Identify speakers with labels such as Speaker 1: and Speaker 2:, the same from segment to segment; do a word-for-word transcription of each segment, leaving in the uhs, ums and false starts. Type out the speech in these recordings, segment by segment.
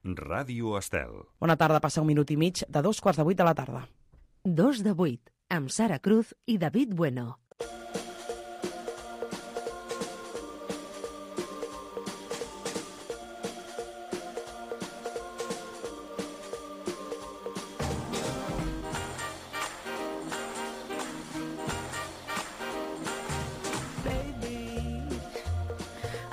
Speaker 1: Ràdio Estel.
Speaker 2: Bona tarda, passa un minut i mig de dos quarts de vuit de la tarda.
Speaker 3: Dos de vuit, amb Sara Cruz i David Bueno.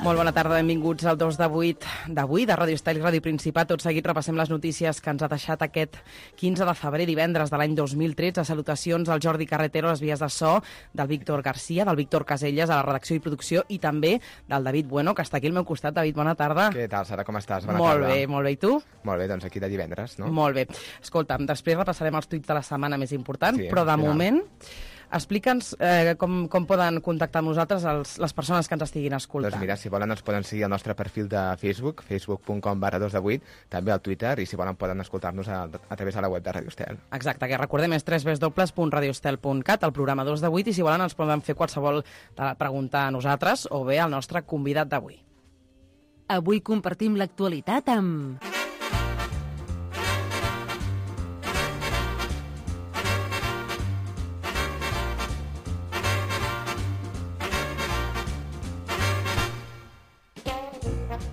Speaker 2: Molt bona tarda, benvinguts al dos de vuit d'avui, de Ràdio Estel i Ràdio Principat. Tot seguit repassem les notícies que ens ha deixat aquest quinze de febrer, divendres de l'any dos mil tretze. Salutacions al Jordi Carretero, a les vies de so, del Víctor Garcia, del Víctor Caselles, a la redacció i producció, i també del David Bueno, que està aquí al meu costat. David, bona tarda.
Speaker 4: Què tal, Sara, com estàs? Bona
Speaker 2: molt
Speaker 4: tarda.
Speaker 2: bé, molt bé. I tu?
Speaker 4: Molt bé, doncs aquí de divendres, no?
Speaker 2: Molt bé. Escolta'm, després repassarem els tuits de la setmana més important,
Speaker 4: Sí,
Speaker 2: però de
Speaker 4: al final.
Speaker 2: moment... Explica'ns eh, com, com poden contactar amb nosaltres els, les persones que ens estiguin escoltant.
Speaker 4: Doncs mira, si volen ens poden seguir al nostre perfil de Facebook, facebook punt com barra dos de vuit, també al Twitter, i si volen poden escoltar-nos a, a través de la web de Ràdio Estel.
Speaker 2: Exacte, que recordem és w w w punt radioestel punt cat, el programa dos de vuit, i si volen ens poden fer qualsevol pregunta a nosaltres o bé al nostre convidat d'avui.
Speaker 3: Avui compartim l'actualitat amb...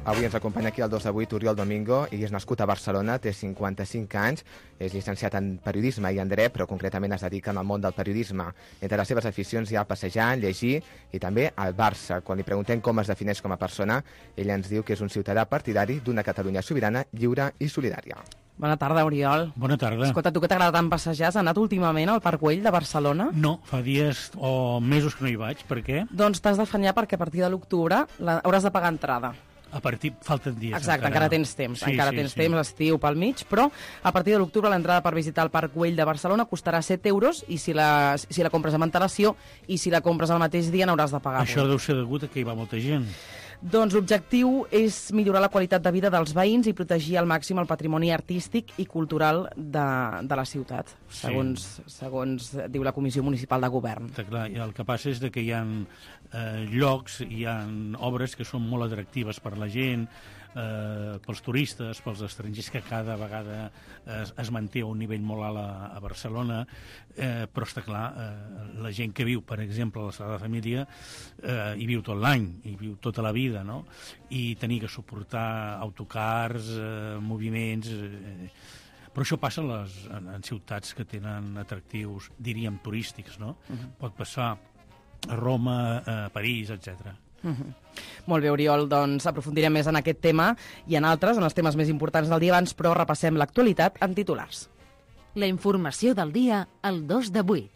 Speaker 4: Avui ens acompanya aquí el dos de vuit Oriol Domingo, i és nascut a Barcelona, té cinquanta-cinc anys, és llicenciat en periodisme i en dret, però concretament es dedica al món del periodisme. Entre les seves aficions hi ha passejar, llegir i també el Barça. Quan li preguntem com es defineix com a persona, ell ens diu que és un ciutadà partidari d'una Catalunya sobirana, lliure i solidària.
Speaker 2: Bona tarda, Oriol.
Speaker 5: Bona tarda.
Speaker 2: Escolta, tu que t'agrada tant passejar, has anat últimament al Parc Güell de Barcelona?
Speaker 5: No, fa dies o mesos que no hi vaig. Per què?
Speaker 2: Doncs t'has d'afanyar perquè a partir de l'octubre hauràs de pagar entrada.
Speaker 5: A partir... Falten dies.
Speaker 2: Exacte, encara, encara tens temps.
Speaker 5: Sí,
Speaker 2: encara
Speaker 5: sí,
Speaker 2: tens
Speaker 5: sí.
Speaker 2: temps, estiu pel mig, però a partir de l'octubre l'entrada per visitar el Parc Güell de Barcelona costarà set euros i si la, si la compres amb antelació i si la compres el mateix dia n'hauràs de pagar.
Speaker 5: Això deu ser degut a que hi va molta gent.
Speaker 2: Doncs l'objectiu és millorar la qualitat de vida dels veïns i protegir al màxim el patrimoni artístic i cultural de, de la ciutat, segons, sí. segons diu la Comissió Municipal de Govern.
Speaker 5: Està clar, i el que passa és que hi ha eh, llocs, hi ha obres que són molt atractives per la gent, eh, pels turistes, pels estrangers, que cada vegada es, es manté a un nivell molt alt a, a Barcelona, eh, però està clar, eh, la gent que viu, per exemple, a la Sagrada Família, eh, hi viu tot l'any, hi viu tota la vida, no? I tenir que suportar autocars, eh, moviments... Eh, però això passa en, les, en, en ciutats que tenen atractius, diríem, turístics, no? Uh-huh. Pot passar a Roma, a París, etcètera.
Speaker 2: Uh-huh. Molt bé, Oriol, doncs aprofundirem més en aquest tema i en altres, en els temes més importants del dia abans, però repassem l'actualitat en titulars.
Speaker 3: La informació del dia al dos de vuit.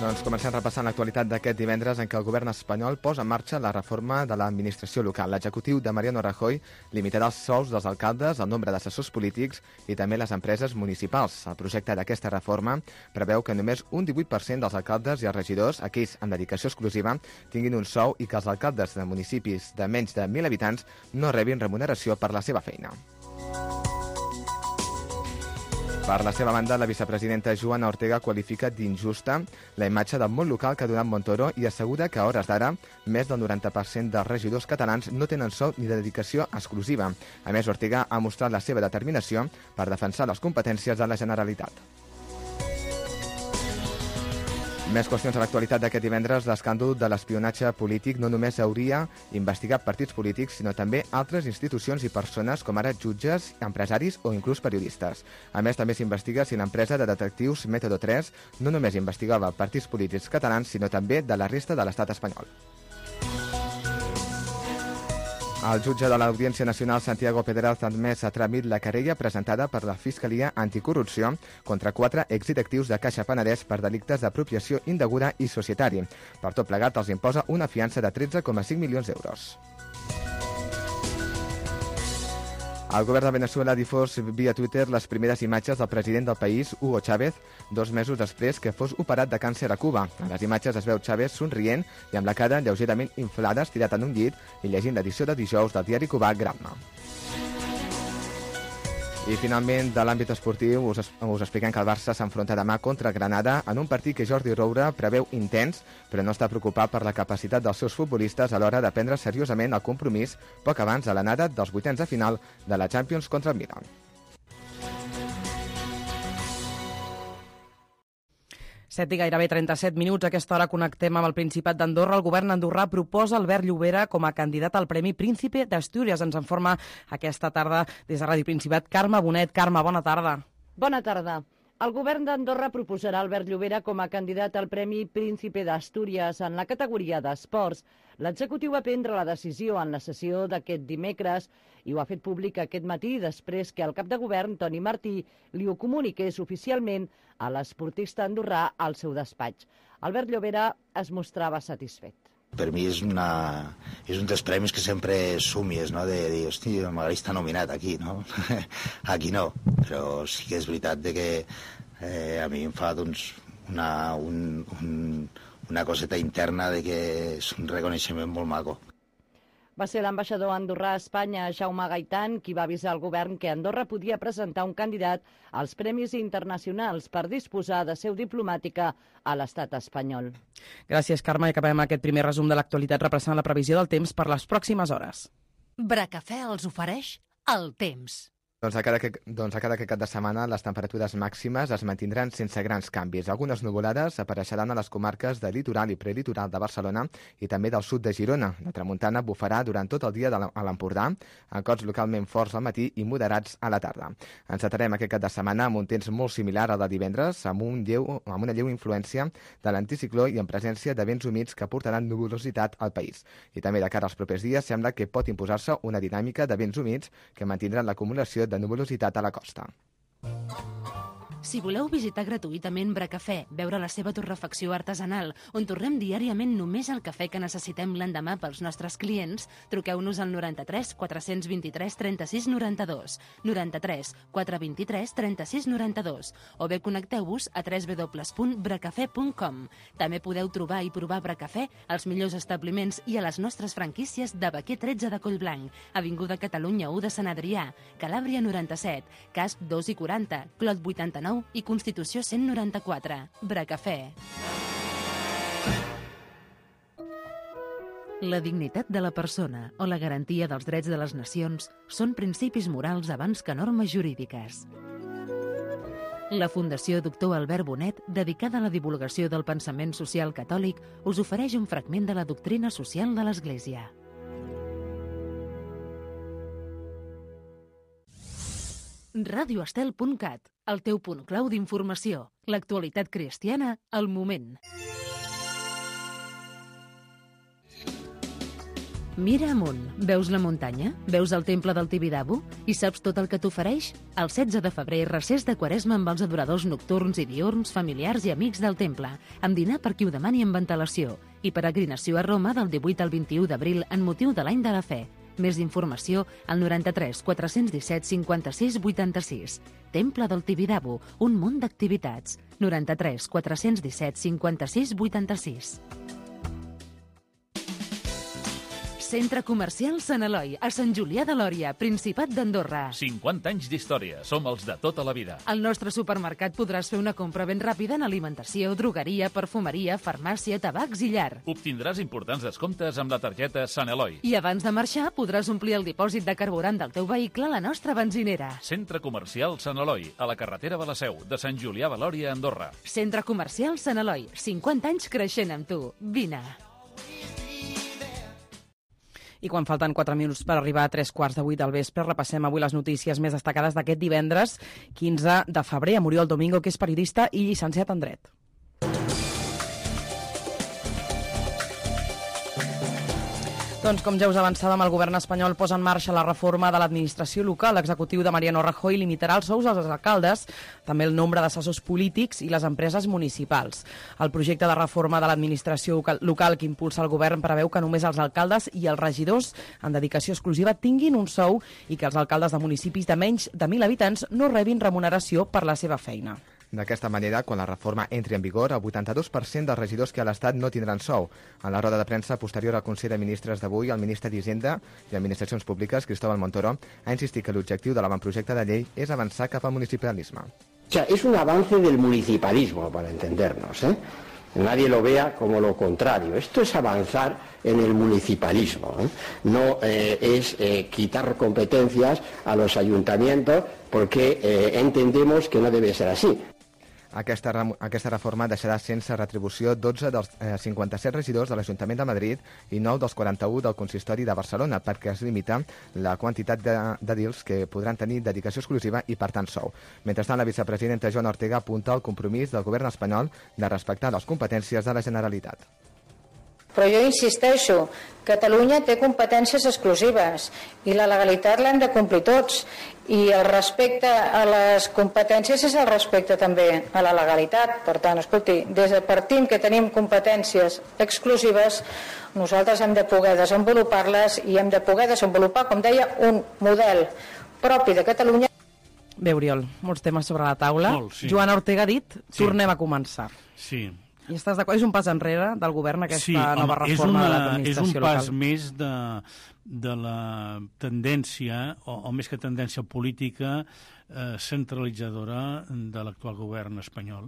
Speaker 4: Doncs comencem repassant l'actualitat d'aquest divendres en què el govern espanyol posa en marxa la reforma de l'administració local. L'executiu de Mariano Rajoy limitarà els sous dels alcaldes, el nombre d'assessors polítics i també les empreses municipals. El projecte d'aquesta reforma preveu que només un divuit per cent dels alcaldes i els regidors, aquells amb dedicació exclusiva, tinguin un sou i que els alcaldes de municipis de menys de mil habitants no rebin remuneració per la seva feina. Per la seva banda, la vicepresidenta Joana Ortega qualifica d'injusta la imatge del món local que ha donat Montoro i assegura que a hores d'ara més del noranta per cent dels regidors catalans no tenen sou ni dedicació exclusiva. A més, Ortega ha mostrat la seva determinació per defensar les competències de la Generalitat. Més qüestions a l'actualitat d'aquest divendres. L'escàndol de l'espionatge polític no només hauria investigat partits polítics, sinó també altres institucions i persones com ara jutges, empresaris o inclús periodistes. A més, també s'investiga si l'empresa de detectius Método tres no només investigava partits polítics catalans, sinó també de la resta de l'estat espanyol. El jutge de l'Audiència Nacional, Santiago Pedraz, ha admès a tràmit la querella presentada per la Fiscalia Anticorrupció contra quatre exdirectius de Caixa Penedès per delictes d'apropiació indeguda i societari. Per tot plegat, els imposa una fiança de tretze coma cinc milions d'euros. El govern de Veneçuela ha difós via Twitter les primeres imatges del president del país, Hugo Chávez, dos mesos després que fos operat de càncer a Cuba. A les imatges es veu Chávez somrient i amb la cara lleugerament inflada, estirat en un llit i llegint l'edició de dijous del diari cubà Gramma. I finalment, de l'àmbit esportiu, us, us expliquem que el Barça s'enfronta demà contra Granada en un partit que Jordi Roura preveu intens, però no està preocupat per la capacitat dels seus futbolistes a l'hora de prendre seriosament el compromís poc abans de l'anada dels vuitens de final de la Champions contra el Milan.
Speaker 2: set i gairebé trenta-set minuts. A aquesta hora connectem amb el Principat d'Andorra. El govern andorrà proposa Albert Llobera com a candidat al Premi Príncipe d'Astúries. Ens informa aquesta tarda des de Ràdio Principat Carme Bonet. Carme, bona tarda.
Speaker 1: Bona tarda. El govern d'Andorra proposarà Albert Llobera com a candidat al Premi Príncipe d'Astúries en la categoria d'esports. L'executiu va prendre la decisió en la sessió d'aquest dimecres i ho ha fet públic aquest matí després que el cap de govern, Toni Martí, li ho comuniqués oficialment a l'esportista andorrà al seu despatx. Albert Llobera es mostrava satisfet.
Speaker 6: Per mi és, una, és un dels premis que sempre somies, no? De dir, hosti, m'agradaria estar nominat aquí, no? Aquí no, però sí que és veritat de que eh, a mi em fa doncs, una, un, un, una coseta interna de que és un reconeixement molt maco.
Speaker 1: Va ser l'ambaixador andorrà a Espanya, Jaume Gaitan, qui va avisar al govern que Andorra podia presentar un candidat als premis internacionals per disposar de seu diplomàtica a l'estat espanyol.
Speaker 2: Gràcies, Carme. I acabem aquest primer resum de l'actualitat repassant la previsió del temps per les pròximes hores.
Speaker 3: Bracafè els ofereix el temps.
Speaker 4: Doncs a, cada, doncs a cada cap de setmana les temperatures màximes es mantindran sense grans canvis. Algunes nuvolades apareixeran a les comarques de litoral i prelitoral de Barcelona i també del sud de Girona. La tramuntana bufarà durant tot el dia a l'Empordà, amb cops localment forts al matí i moderats a la tarda. Ens atarem aquest cap de setmana amb un temps molt similar al de divendres, amb, un lleu, amb una lleu influència de l'anticicló i en presència de vents humits que portaran nuvolositat al país. I també de cara als propers dies sembla que pot imposar-se una dinàmica de vents humits que mantindran l'acumulació de nuvolositat a la costa.
Speaker 3: Si voleu visitar gratuïtament Bracafè, veure la seva torrefacció artesanal, on torrem diàriament només el cafè que necessitem l'endemà pels nostres clients, truqueu-nos al noranta-tres quatre-cents vint-i-tres trenta-sis noranta-dos, noranta-tres quatre vint-i-tres trenta-sis noranta-dos, o bé connecteu-vos a w w w punt bracafè punt com. També podeu trobar i provar Bracafè als millors establiments i a les nostres franquícies de Baquer tretze de Collblanc, Avinguda Catalunya u de Sant Adrià, Calàbria noranta-set, Casp dos i quaranta, Clot vuitanta-nou i Constitució cent noranta-quatre. Bracafè. La dignitat de la persona o la garantia dels drets de les nacions són principis morals abans que normes jurídiques. La Fundació Doctor Albert Bonet, dedicada a la divulgació del pensament social catòlic, us ofereix un fragment de la doctrina social de l'Església. radio estel punt cat, el teu punt clau d'informació. L'actualitat cristiana al moment. Mira amunt. Veus la muntanya? Veus el temple del Tibidabo? I saps tot el que t'ofereix? El setze de febrer, recés de Quaresma amb els adoradors nocturns i diurns, familiars i amics del temple, amb dinar per qui ho demani amb ventilació, i peregrinació a Roma del divuit al vint-i-u d'abril en motiu de l'any de la fe. Més informació al noranta-tres quatre-cents disset cinquanta-sis vuitanta-sis. Temple del Tibidabo, un munt d'activitats. noranta-tres quatre-cents disset cinquanta-sis vuitanta-sis. Centre Comercial Sant Eloi, a Sant Julià de Lòria, Principat d'Andorra.
Speaker 7: cinquanta anys d'història, som els de tota la vida.
Speaker 3: Al nostre supermercat podràs fer una compra ben ràpida en alimentació, drogueria, perfumeria, farmàcia, tabacs i llar.
Speaker 7: Obtindràs importants descomptes amb la targeta Sant Eloi.
Speaker 3: I abans de marxar podràs omplir el dipòsit de carburant del teu vehicle a la nostra benzinera.
Speaker 7: Centre Comercial Sant Eloi, a la carretera de la Seu, de Sant Julià de Lòria, Andorra.
Speaker 3: Centre Comercial Sant Eloi, cinquanta anys creixent amb tu. Vine.
Speaker 2: I quan falten quatre minuts per arribar a tres quarts de vuit del vespre, repassem avui les notícies més destacades d'aquest divendres, quinze de febrer, amb Oriol Domingo, que és periodista i llicenciat en Dret. Doncs, com ja us avançàvem, el govern espanyol posa en marxa la reforma de l'administració local. L'executiu de Mariano Rajoy limitarà els sous als alcaldes, també el nombre d'assessors polítics i les empreses municipals. El projecte de reforma de l'administració local que impulsa el govern preveu que només els alcaldes i els regidors en dedicació exclusiva tinguin un sou i que els alcaldes de municipis de menys de mil habitants no rebin remuneració per la seva feina.
Speaker 4: D'aquesta manera, quan la reforma entri en vigor, el vuitanta-dos per cent dels regidors que a l'Estat no tindran sou. En la roda de premsa posterior al Consell de Ministres d'avui, el ministre d'Hisenda i Administracions Públiques, Cristóbal Montoro, ha insistit que l'objectiu de l'avantprojecte de llei és avançar cap al municipalisme.
Speaker 8: O sea, es un avance del municipalismo, para entendernos, ¿eh? Nadie lo vea como lo contrario. Esto es avanzar en el municipalismo, ¿eh? No eh, es eh, quitar competencias a los ayuntamientos porque eh, entendemos que no debe ser así.
Speaker 4: Aquesta, aquesta reforma deixarà sense retribució dotze dels eh, cinquanta-set regidors de l'Ajuntament de Madrid i nou dels quaranta-u del Consistori de Barcelona, perquè es limita la quantitat de, de dils que podran tenir dedicació exclusiva i, per tant, sou. Mentrestant, la vicepresidenta Joana Ortega apunta al compromís del govern espanyol de respectar les competències de la Generalitat.
Speaker 9: Però jo insisteixo, Catalunya té competències exclusives i la legalitat l'hem de complir tots, i el respecte a les competències és el respecte també a la legalitat. Per tant, escolti, des de partim que tenim competències exclusives, nosaltres hem de poder desenvolupar-les i hem de poder desenvolupar, com deia, un model propi de Catalunya.
Speaker 2: Bé, Oriol, molts temes sobre la taula.
Speaker 5: Molt, sí.
Speaker 2: Joana Ortega ha dit,
Speaker 5: Sí.
Speaker 2: tornem a començar.
Speaker 5: Sí.
Speaker 2: I estàs d'acord? És un pas enrere del govern aquesta
Speaker 5: Sí, home,
Speaker 2: nova
Speaker 5: és
Speaker 2: reforma
Speaker 5: una,
Speaker 2: de l'administració
Speaker 5: és un pas
Speaker 2: local?
Speaker 5: més de, de la tendència, o, o més que tendència política, eh, centralitzadora de l'actual govern espanyol.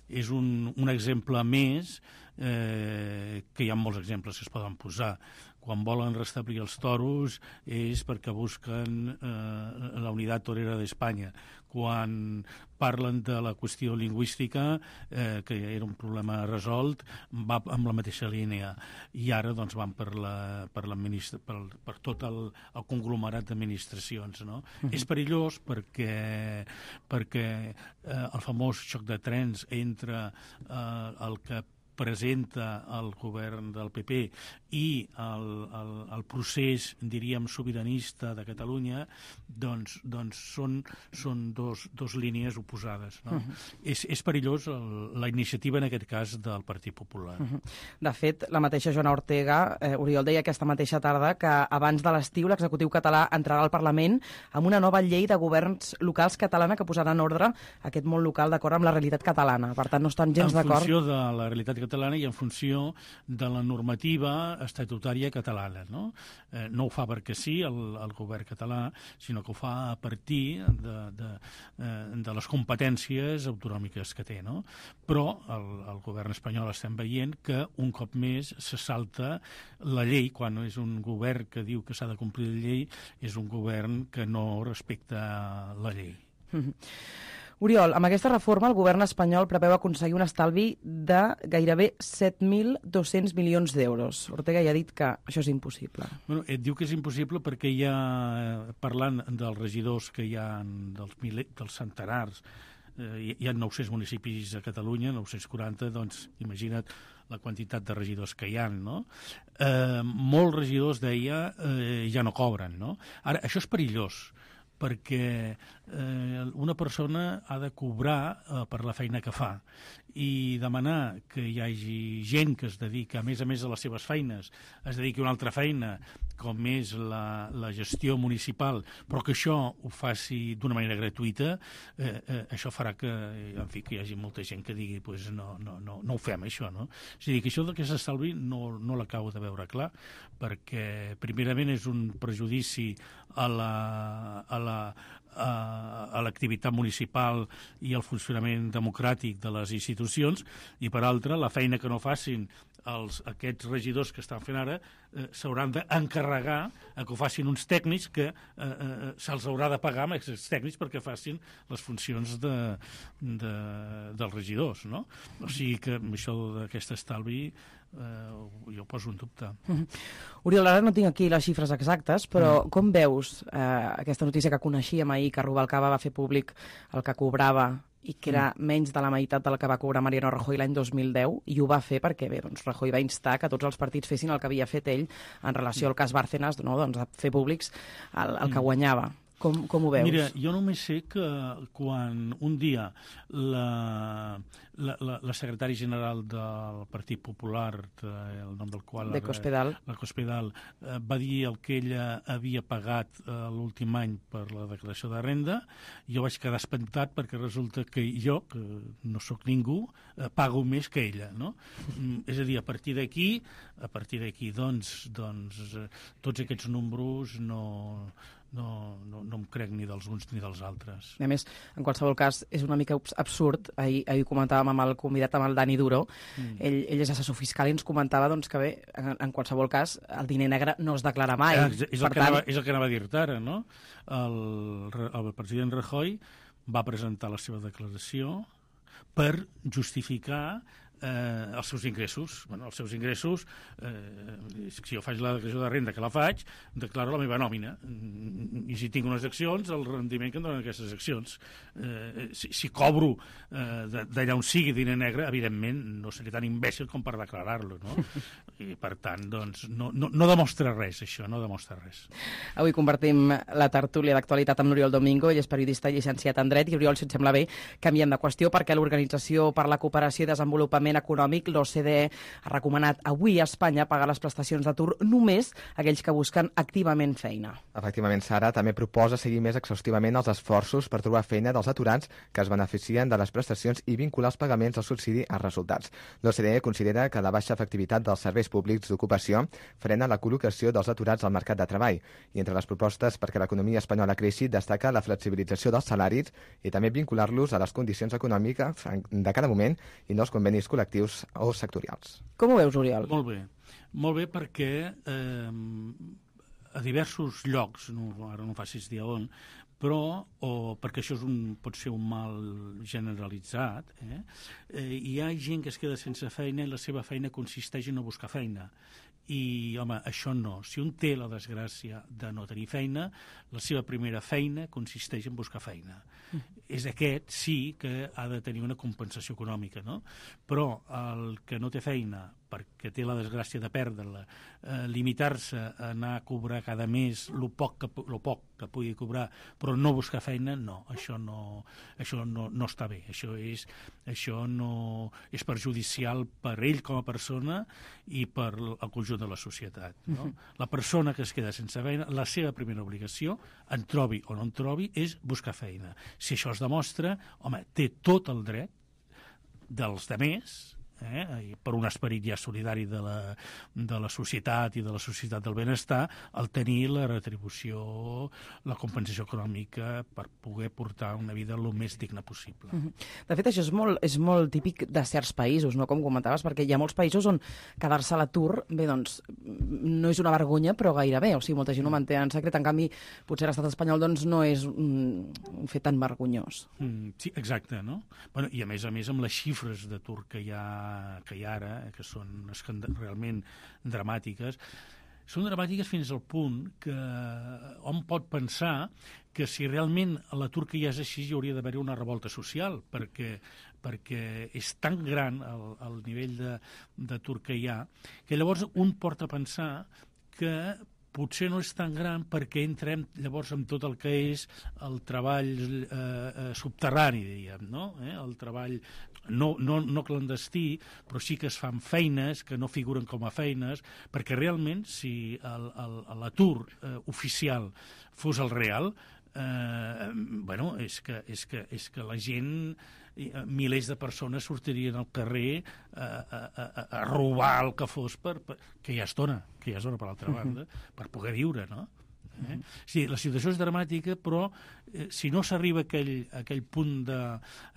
Speaker 5: És un, un exemple més, eh, que hi ha molts exemples que es poden posar. Quan volen restablir els toros és perquè busquen eh, la unitat torera d'Espanya. Quan parlen de la qüestió lingüística, eh, que era un problema resolt, va amb la mateixa línia. I ara doncs, van per, la, per, per, per tot el, el conglomerat d'administracions. No? Uh-huh. És perillós perquè, perquè eh, el famós xoc de trens entre eh, el que presenta el govern del P P i el, el, el procés, diríem, sobiranista de Catalunya, doncs, doncs són, són dos, dos línies oposades. No? Uh-huh. és, és perillós el, la iniciativa, en aquest cas, del Partit Popular.
Speaker 2: Uh-huh. De fet, la mateixa Joana Ortega, eh, Oriol, deia aquesta mateixa tarda que abans de l'estiu l'executiu català entrarà al Parlament amb una nova llei de governs locals catalana que posarà en ordre aquest món local d'acord amb la realitat catalana. Per tant, no estan gens d'acord.
Speaker 5: En funció de la realitat catalana i en funció de la normativa estatutària catalana. No, eh, no ho fa perquè sí, el, el govern català, sinó que ho fa a partir de, de, de les competències autonòmiques que té. No? Però el, el govern espanyol estem veient que un cop més se salta la llei, quan és un govern que diu que s'ha de complir la llei, és un govern que no respecta la llei.
Speaker 2: Mm-hmm. Oriol, amb aquesta reforma el govern espanyol preveu aconseguir un estalvi de gairebé set mil dos-cents milions d'euros. Ortega ja ha dit que això és impossible.
Speaker 5: Bueno, et diu que és impossible perquè hi ha, parlant dels regidors que hi ha, dels, mil, dels centenars, eh, hi ha nou-cents municipis a Catalunya, nou-cents quaranta, doncs imagina't la quantitat de regidors que hi ha, no? Eh, molts regidors, deia, eh, ja no cobren, no? Ara, això és perillós, perquè eh, una persona ha de cobrar eh, per la feina que fa, i demanar que hi hagi gent que es dedica, a més a més a les seves feines, es dediqui a una altra feina, com és la, la gestió municipal, però que això ho faci d'una manera gratuïta, eh, eh, això farà que, en fi, que hi hagi molta gent que digui pues no, no, no, no ho fem, això, no? És a dir, que això que s'estalvi no, no l'acabo de veure clar, perquè primerament és un prejudici a la, a la a l'activitat municipal i al funcionament democràtic de les institucions, i per altra, la feina que no facin els, aquests regidors que estan fent ara eh, s'hauran d'encarregar a que ho facin uns tècnics que eh, eh, se'ls haurà de pagar amb aquests tècnics perquè facin les funcions de, de, dels regidors, no? O sigui que això d'aquest estalvi Uh, jo ho poso en dubte.
Speaker 2: Mm-hmm. Oriol, ara no tinc aquí les xifres exactes, però mm. com veus eh, aquesta notícia que coneixíem ahir, que Rubalcaba va fer públic el que cobrava i que era mm. menys de la meitat del que va cobrar Mariano Rajoy l'any dos mil deu, i ho va fer perquè bé, doncs, Rajoy va instar que tots els partits fessin el que havia fet ell en relació al cas Bárcenas, no? Doncs, a fer públics el, el que guanyava. Com, com ho veus?
Speaker 5: Mira, jo només sé que quan un dia la, la, la, la secretària general del Partit Popular, el nom del qual...
Speaker 2: De Cospedal.
Speaker 5: La Cospedal, eh, va dir el que ella havia pagat eh, l'últim any per la declaració de renda, jo vaig quedar espantat perquè resulta que jo, que no sóc ningú, eh, pago més que ella, no? Mm, és a dir, a partir d'aquí, a partir d'aquí, doncs, doncs eh, tots aquests números no... No, no, no em crec ni dels uns ni dels altres.
Speaker 2: A més, en qualsevol cas, és una mica absurd. Ahir, ahir comentàvem amb el convidat, amb el Dani Duro, mm. ell, ell és assessor fiscal i ens comentava doncs, que bé, en, en qualsevol cas, el diner negre no es declara mai.
Speaker 5: Ah, és, és, el per tant... anava, és el que anava a dir-te ara, no? El, el president Rajoy va presentar la seva declaració per justificar Eh, els seus ingressos. Bueno, els seus ingressos, eh, si jo faig la declaració de renda que la faig, declaro la meva nòmina. I si tinc unes accions, el rendiment que em donen aquestes accions. Eh, si, si cobro eh, d'allà on sigui diner negre, evidentment no seré tan imbècil com per declarar-lo, no? I per tant, doncs, no, no, no demostra res, això, no demostra res.
Speaker 2: Avui compartim la tertúlia d'actualitat amb l'Oriol Domingo, ell és periodista i llicenciat en dret, i Oriol, si et sembla bé, canviem de qüestió perquè l'Organització per la Cooperació i Desenvolupament Econòmic, l'O C D E, ha recomanat avui a Espanya pagar les prestacions d'atur només a aquells que busquen activament feina.
Speaker 4: Efectivament, Sara, també proposa seguir més exhaustivament els esforços per trobar feina dels aturats que es beneficien de les prestacions i vincular els pagaments del subsidi als resultats. L'O C D E considera que la baixa efectivitat dels serveis públics d'ocupació frena la col·locació dels aturats al mercat de treball. I entre les propostes perquè l'economia espanyola creixi destaca la flexibilització dels salaris i també vincular-los a les condicions econòmiques de cada moment i no als convenis col·lectius o sectorials.
Speaker 2: Com ho veus, Oriol?
Speaker 5: Molt bé. Molt bé perquè eh, a diversos llocs, no, ara no facis dir on, però, o perquè això és un, pot ser un mal generalitzat, eh, eh, hi ha gent que es queda sense feina i la seva feina consisteix en no buscar feina. I, home, això no. Si un té la desgràcia de no tenir feina, la seva primera feina consisteix en buscar feina. Mm. És aquest, sí, que ha de tenir una compensació econòmica, no? Però el que no té feina perquè té la desgràcia de perdre-la, eh, limitar-se a anar a cobrar cada mes el poc que, lo poc que pugui cobrar, però no buscar feina, no, això no, això no, no està bé. Això és, això no, és perjudicial per ell com a persona i per el conjunt de la societat. No? Uh-huh. La persona que es queda sense feina, la seva primera obligació, en trobi o no en trobi, és buscar feina. Si això es demostra, home, té tot el dret dels demés, eh, per un esperit ja solidari de la, de la societat i de la societat del benestar, el tenir la retribució, la compensació econòmica per poder portar una vida el més digna possible.
Speaker 2: De fet, això és molt, és molt típic de certs països, no? Com comentaves, perquè hi ha molts països on quedar-se a l'atur, bé, doncs, no és una vergonya, però gairebé, o sigui, molta gent ho manté en secret, en canvi, potser l'estat espanyol, doncs, no és un, un fet tan vergonyós.
Speaker 5: Mm, sí, exacte, no? Bueno, i a més a més, amb les xifres d'atur que hi ha que hi ha ara, que són realment dramàtiques, són dramàtiques fins al punt que hom pot pensar que si realment l'atur que hi ha és així hi hauria d'haver una revolta social, perquè, perquè és tan gran el, el nivell d'atur que hi ha, que llavors un porta a pensar que potser no és tan gran perquè entrem llavors amb tot el que és el treball eh, subterrani, diríem, no? Eh? El treball no, no, no clandestí, però sí que es fan feines que no figuren com a feines, perquè realment si l'atur eh, oficial fos el real, eh, bueno, és que, és, que, és que la gent, milers de persones sortirien al carrer a, a, a, a robar el que fos, per, per, que ja es dona, que ja es dona per l'altra banda, per poder viure, no? Eh? Sí, la situació és dramàtica, però eh, si no s'arriba a aquell, a aquell punt de,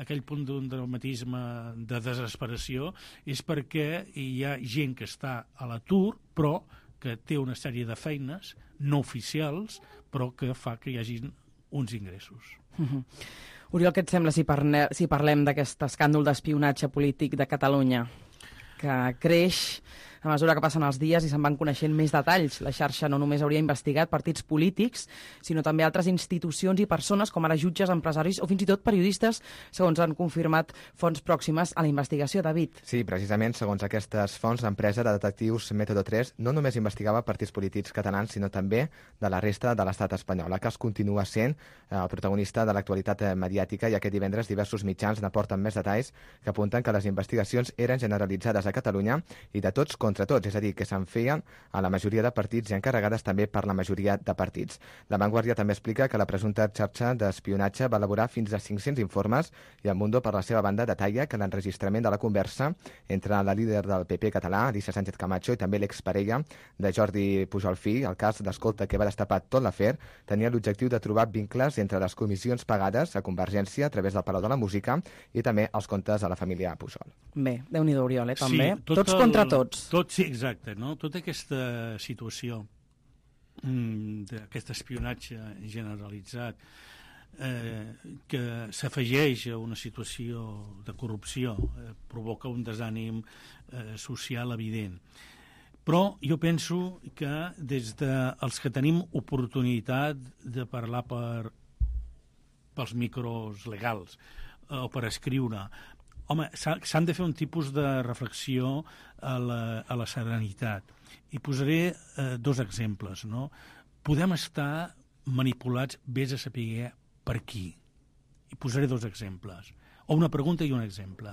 Speaker 5: aquell punt d'un dramatisme de desesperació, és perquè hi ha gent que està a l'atur, però que té una sèrie de feines no oficials, però que fa que hi hagi uns ingressos.
Speaker 2: Uh-huh. Oriol, què et sembla si, parne, si parlem d'aquest escàndol d'espionatge polític de Catalunya, que creix A mesura que passen els dies i se'n van coneixent més detalls, la xarxa no només hauria investigat partits polítics, sinó també altres institucions i persones, com ara jutges, empresaris o fins i tot periodistes, segons han confirmat fonts pròximes a la investigació. David.
Speaker 4: Sí, precisament, segons aquestes fonts, l'empresa de detectius Método tres no només investigava partits polítics catalans, sinó també de la resta de l'estat espanyol. La cas continua sent el protagonista de l'actualitat mediàtica i aquest divendres diversos mitjans n'aporten més detalls que apunten que les investigacions eren generalitzades a Catalunya i de tots contra tots, és a dir, que se'n feien a la majoria de partits i encarregades també per la majoria de partits. La Vanguardia també explica que la presumpta xarxa d'espionatge va elaborar fins a cinc-cents informes i el Mundo, per la seva banda, detalla que l'enregistrament de la conversa entre la líder del P P català, Alicia Sánchez Camacho, i també l'exparella de Jordi Pujol fill, el cas d'escolta que va destapar tot l'afer, tenia l'objectiu de trobar vincles entre les comissions pagades a Convergència a través del Palau de la Música i també els comptes de la família Pujol.
Speaker 2: Bé, Déu-n'hi-do, Oriol, eh, també.
Speaker 5: Sí, tot
Speaker 2: tots
Speaker 5: el,
Speaker 2: contra tots.
Speaker 5: Tot, sí, exacte, no? Tota aquesta situació mm, d'aquest espionatge generalitzat eh, que s'afegeix a una situació de corrupció, eh, provoca un desànim eh, social evident. Però jo penso que des dels que tenim oportunitat de parlar per, pels micros legals eh, o per escriure, home, s'han de fer un tipus de reflexió a la, a la serenitat. I posaré eh, dos exemples, no? Podem estar manipulats, vés a saber per qui. I posaré dos exemples. O una pregunta i un exemple.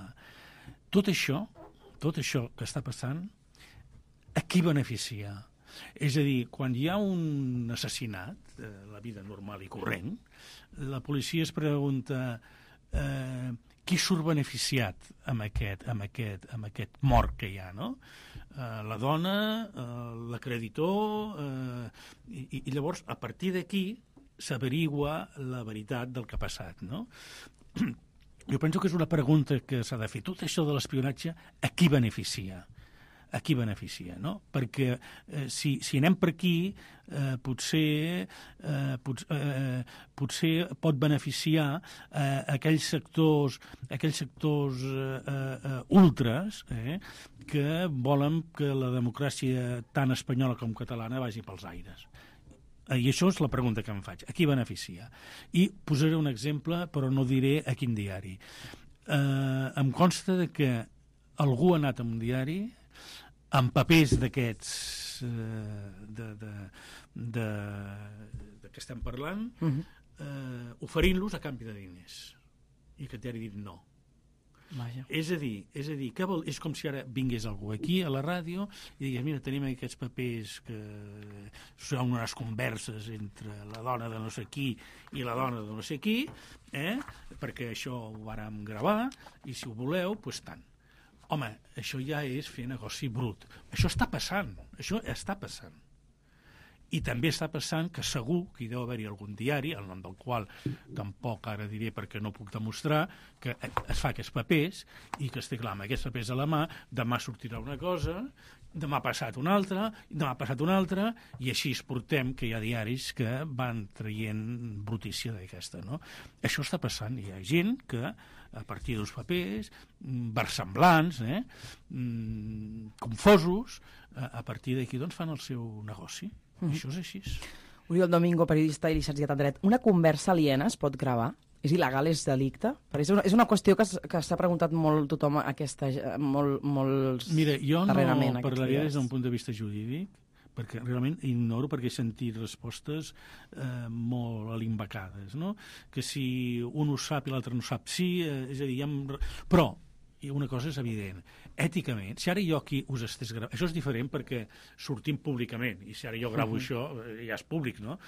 Speaker 5: Tot això, tot això que està passant, a qui beneficia? És a dir, quan hi ha un assassinat, eh, la vida normal i corrent, la policia es pregunta eh, qui surt beneficiat amb aquest, amb, aquest, amb aquest mort que hi ha, no? Eh, la dona, eh, l'acreditor, eh, i, i llavors, a partir d'aquí, s'averigua la veritat del que ha passat, no? Jo penso que és una pregunta que s'ha de fer. Tot això de l'espionatge, a qui beneficia? A qui beneficia, no? Perquè eh, si, si anem per aquí, eh, potser, eh, pot, eh, potser pot beneficiar eh, aquells sectors, aquells sectors eh, eh, ultres eh, que volen que la democràcia tant espanyola com catalana vagi pels aires. I això és la pregunta que em faig. A qui beneficia? I posaré un exemple, però no diré a quin diari. Eh, em consta de que algú ha anat a un diari amb papers d'aquests eh, de, de, de, de què estem parlant, uh-huh. eh, oferint-los a canvi de diners. I que t'ha dit no.
Speaker 2: Vaja.
Speaker 5: És a dir, és a dir que vol, és com si ara vingués algú aquí a la ràdio i digués, mira, tenim aquests papers que són unes converses entre la dona de no sé qui i la dona de no sé qui, eh? Perquè això ho vàrem gravar i si ho voleu, doncs tant. Home, això ja és fer negoci brut. Això està passant, això està passant. I també està passant que segur que hi deu haver-hi algun diari, el nom del qual tampoc ara diré perquè no puc demostrar, que es fa aquests papers i que es té clar amb aquests papers a la mà, demà sortirà una cosa, demà ha passat una altra, demà ha passat una altra, i així es portem que hi ha diaris que van traient brutícia d'aquesta, no? Això està passant, hi ha gent que a partir dels papers, versemblants, eh, confosos, a partir d'aquí doncs, fan el seu negoci. Mm-hmm. Això és així.
Speaker 2: Oriol Domingo, periodista i llicenciat en dret. Una conversa aliena es pot gravar? És il·legal, és delicte? És una, és una qüestió que, que s'ha preguntat molt tothom aquesta, molt, molts
Speaker 5: Mira, jo
Speaker 2: darrerament.
Speaker 5: No parlaria des d'un punt de vista jurídic, perquè realment ignoro perquè he sentit respostes eh, molt alimbacades, no? Que si un ho sap i l'altre no sap, sí, eh, és a dir, ja em... però i una cosa és evident, èticament, si ara jo aquí us estés gravant, això és diferent perquè sortim públicament, i si ara jo gravo uh-huh. això, eh, ja és públic, no?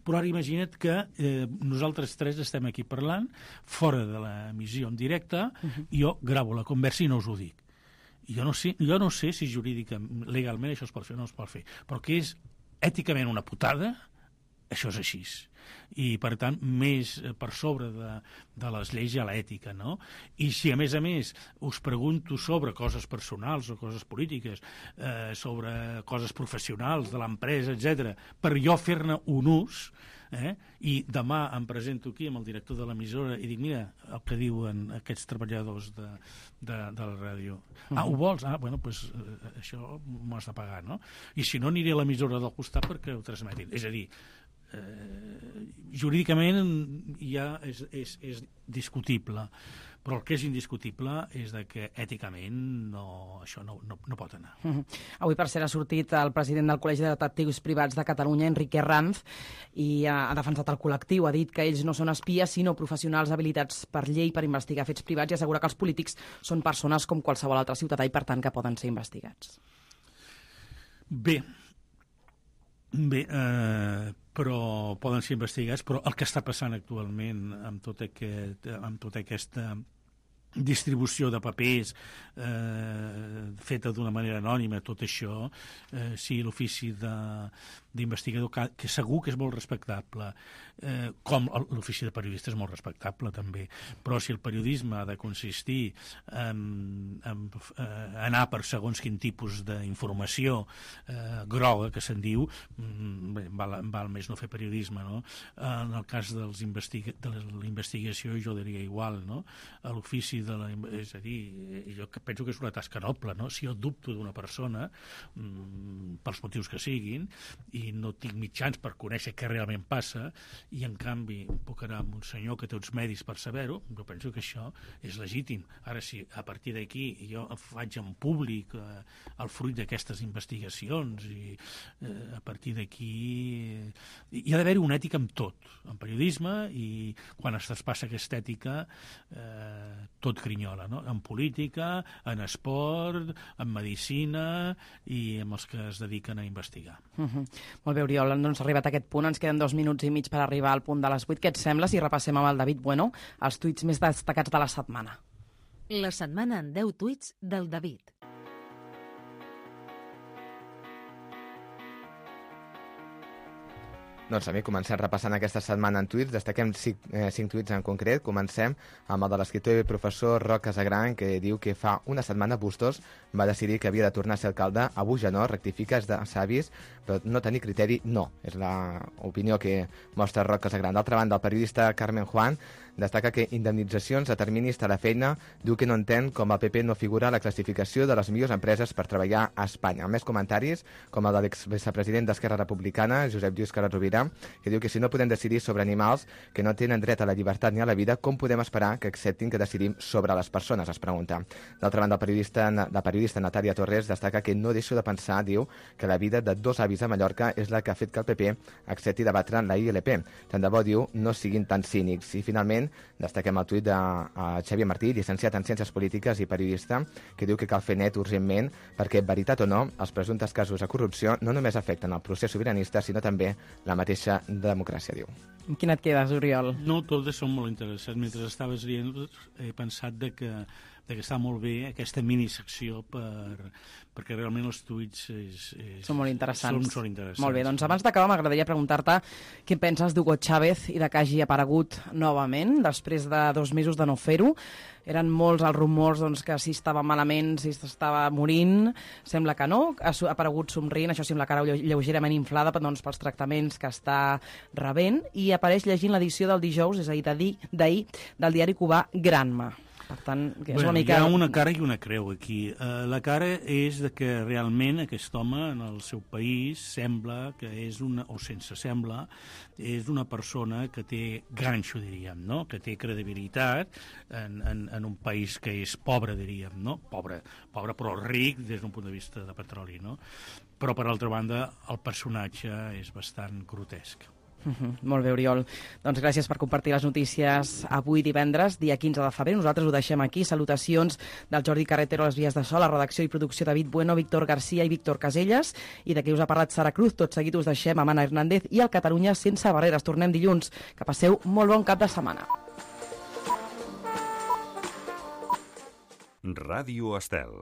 Speaker 5: Però ara imagina't que eh, nosaltres tres estem aquí parlant, fora de l'emissió en directe, uh-huh. i jo gravo la conversa i no us ho dic. Jo no sé, jo no sé si jurídicament, legalment això es pot fer o no es pot fer, però que és èticament una putada, això és així. I, per tant, més per sobre de, de les lleis hi ha l'ètica, no? I si, a més a més, us pregunto sobre coses personals o coses polítiques, eh, sobre coses professionals de l'empresa, etcètera, per jo fer-ne un ús, Eh? I demà em presento aquí amb el director de l'emissora i dic, mira, el que diuen aquests treballadors de, de, de la ràdio. Ah, ho vols? Ah, bueno, doncs eh, això m'ho has de pagar, no? I si no, aniré a l'emissora del costat perquè ho transmetin. És a dir, eh, jurídicament ja és, és, és discutible, però el que és indiscutible és de que èticament no, això no, no, no pot anar.
Speaker 2: Uh-huh. Avui, per cert, ha sortit el president del Col·legi de Detectius Privats de Catalunya, Enrique Ranz, i ha, ha defensat el col·lectiu, ha dit que ells no són espies, sinó professionals habilitats per llei per investigar fets privats, i assegura que els polítics són persones com qualsevol altre ciutadà i, per tant, que poden ser investigats.
Speaker 5: Bé, bé, eh, però poden ser investigats, però el que està passant actualment amb tot aquest, amb tota aquesta distribució de papers eh, feta d'una manera anònima, tot això, eh, sí, l'ofici d'investigador, que, que segur que és molt respectable, eh, com l'ofici de periodista és molt respectable també, però si el periodisme ha de consistir en, en eh, anar per segons quin tipus d'informació eh, groga, que se'n diu, bé, val, val més no fer periodisme, no? En el cas dels investiga de l'investigació jo diria igual, no? A l'ofici de la, és a dir, jo penso que és una tasca noble, no? Si jo dubto d'una persona mmm, pels motius que siguin i no tinc mitjans per conèixer què realment passa i en canvi puc anar amb un senyor que té uns medis per saber-ho, jo penso que això és legítim. Ara si a partir d'aquí jo faig en públic eh, el fruit d'aquestes investigacions i eh, a partir d'aquí eh, hi ha d'haver-hi una ètica en tot, en periodisme, i quan es traspassa aquesta ètica eh, tot grinyola, no? En política, en esport, en medicina i amb els que es dediquen a investigar.
Speaker 2: Uh-huh. Molt bé, Oriol, doncs arribat a aquest punt ens queden dos minuts i mig per arribar al punt de les vuit. Què et sembla si repassem amb el David Bueno els tuits més destacats de la setmana?
Speaker 3: La setmana en deu tuits del David.
Speaker 4: Doncs a mi comencem repassant aquesta setmana en tuits. Destaquem cinc, eh, cinc tuits en concret. Comencem amb el de l'escriptor i professor Roc Casagran, que diu que fa una setmana Bustos va decidir que havia de tornar a ser alcalde. Avui ja no, rectifica, és de savis, però no tenir criteri no. És l'opinió que mostra Roc Casagran. D'altra banda, el periodista Carmen Juan destaca que indemnitzacions a terminis de la feina, diu que no entén com el P P no figura a la classificació de les millors empreses per treballar a Espanya. Més comentaris, com el de l'exvicepresident d'Esquerra Republicana, Josep Lluís Carod Rovira, que diu que si no podem decidir sobre animals que no tenen dret a la llibertat ni a la vida, com podem esperar que acceptin que decidim sobre les persones, es pregunta. D'altra banda, el periodista, la periodista Natàlia Torres destaca que no deixo de pensar, diu, que la vida de dos avis a Mallorca és la que ha fet que el P P accepti debatre la I L P. Tant de bo, diu, no siguin tan cínics. I finalment, destaquem el tuit de uh, Xavier Martí, llicenciat en Ciències Polítiques i periodista, que diu que cal fer net urgentment perquè, veritat o no, els presumptes casos de corrupció no només afecten el procés sobiranista, sinó també la mateixa democràcia, diu.
Speaker 2: Amb quin et quedes, Oriol?
Speaker 5: No, totes són molt interessants. Mentre estaves dient, he pensat de que, de que està molt bé aquesta minisecció per, perquè realment els tuits és, és,
Speaker 2: són molt interessants.
Speaker 5: Són, són interessants.
Speaker 2: Molt bé, doncs abans d'acabar m'agradaria preguntar-te què penses d'Hugo Chávez i de que hagi aparegut novament després de dos mesos de no fer-ho. Eren molts els rumors doncs, que si estava malament, si estava morint. Sembla que no, ha aparegut somrient, això sembla cara lleugerament inflada doncs, pels tractaments que està rebent, i apareix llegint l'edició del dijous, és a dir, d'ahir, del diari cubà Granma. Per tant, que és
Speaker 5: bueno,
Speaker 2: una mica...
Speaker 5: hi ha una cara i una creu aquí. Uh, la cara és de que realment aquest home en el seu país sembla que és una, o sense sembla, és una persona que té ganxo, diríem, no? Que té credibilitat en, en, en un país que és pobre, diríem, no? Pobre, pobre però ric des d'un punt de vista de petroli, no? Però, per altra banda, el personatge és bastant grotesc.
Speaker 2: Uh-huh. Molt bé, Oriol. Doncs gràcies per compartir les notícies avui divendres, dia quinze de febrer. Nosaltres ho deixem aquí. Salutacions del Jordi Carretero a les vies de so, la redacció i producció David Bueno, Víctor Garcia i Víctor Caselles, i de qui us ha parlat Sara Cruz. Tot seguit us deixem amb Anna Hernández i el Catalunya sense barreres. Tornem dilluns. Que passeu molt bon cap de setmana.
Speaker 10: Ràdio Estel.